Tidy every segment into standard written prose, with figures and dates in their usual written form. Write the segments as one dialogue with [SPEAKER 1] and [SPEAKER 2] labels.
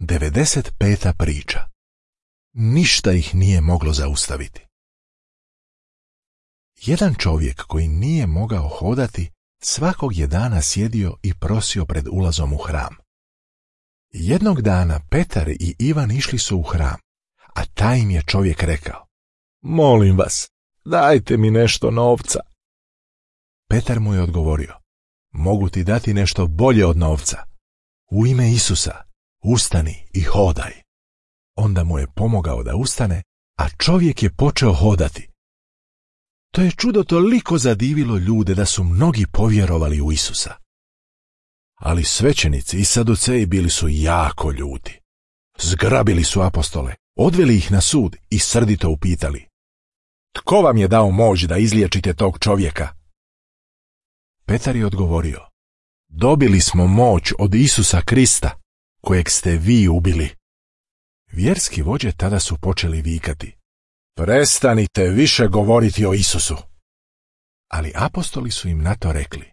[SPEAKER 1] 95. priča. Ništa ih nije moglo zaustaviti. Jedan čovjek koji nije mogao hodati svakog je dana sjedio i prosio pred ulazom u hram. Jednog dana Petar i Ivan išli su u hram, a taj im je čovjek rekao: "Molim vas, dajte mi nešto novca." Petar mu je odgovorio: "Mogu ti dati nešto bolje od novca. U ime Isusa, ustani i hodaj." Onda mu je pomogao da ustane, a čovjek je počeo hodati. To je čudo toliko zadivilo ljude da su mnogi povjerovali u Isusa. Ali svećenici i saduceji bili su jako ljuti. Zgrabili su apostole, odveli ih na sud i srdito upitali: "Tko vam je dao moć da izliječite tog čovjeka?" Petar je odgovorio: "Dobili smo moć od Isusa Krista, kojeg ste vi ubili." Vjerski vođe tada su počeli vikati: "Prestanite više govoriti o Isusu." Ali apostoli su im na to rekli: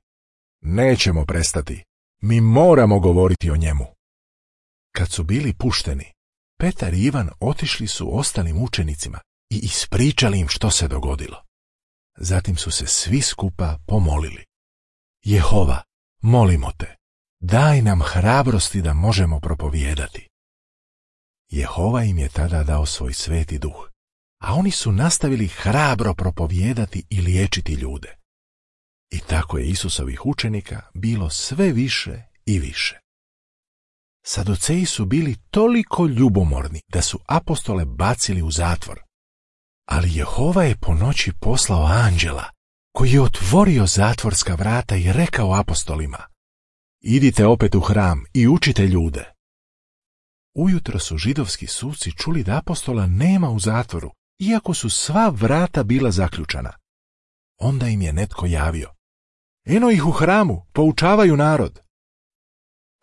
[SPEAKER 1] "Nećemo prestati, mi moramo govoriti o njemu." Kad su bili pušteni, Petar i Ivan otišli su ostalim učenicima i ispričali im što se dogodilo. Zatim su se svi skupa pomolili: "Jehova, molimo te, daj nam hrabrosti da možemo propovijedati." Jehova im je tada dao svoj sveti duh, a oni su nastavili hrabro propovijedati i liječiti ljude. I tako je Isusovih učenika bilo sve više i više. Saduceji su bili toliko ljubomorni da su apostole bacili u zatvor. Ali Jehova je po noći poslao anđela koji je otvorio zatvorska vrata i rekao apostolima: "Idite opet u hram i učite ljude." Ujutro su židovski suci čuli da apostola nema u zatvoru, iako su sva vrata bila zaključana. Onda im je netko javio: "Eno ih u hramu, poučavaju narod."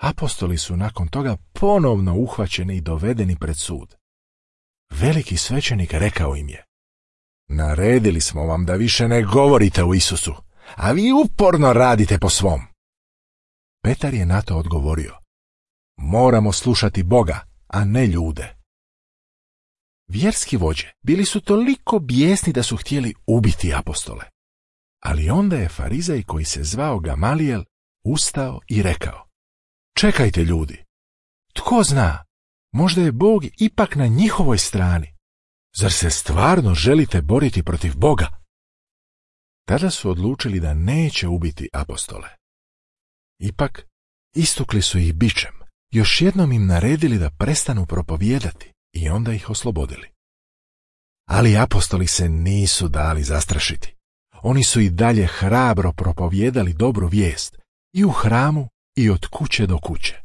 [SPEAKER 1] Apostoli su nakon toga ponovno uhvaćeni i dovedeni pred sud. Veliki svećenik rekao im je: "Naredili smo vam da više ne govorite o Isusu, a vi uporno radite po svom." Petar je na to odgovorio: "Moramo slušati Boga, a ne ljude." Vjerski vođe bili su toliko bijesni da su htjeli ubiti apostole. Ali onda je farizej koji se zvao Gamalijel ustao i rekao: "Čekajte ljudi, tko zna, možda je Bog ipak na njihovoj strani. Zar se stvarno želite boriti protiv Boga?" Tada su odlučili da neće ubiti apostole. Ipak istukli su ih bičem, još jednom im naredili da prestanu propovijedati i onda ih oslobodili. Ali apostoli se nisu dali zastrašiti. Oni su i dalje hrabro propovijedali dobru vijest i u hramu i od kuće do kuće.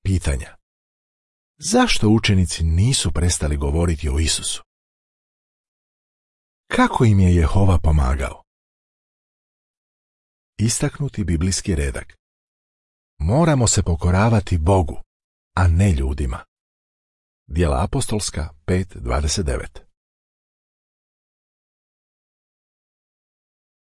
[SPEAKER 1] Pitanja: zašto učenici nisu prestali govoriti o Isusu? Kako im je Jehova pomagao? Istaknuti biblijski redak: moramo se pokoravati Bogu, a ne ljudima. Djela apostolska 5:29.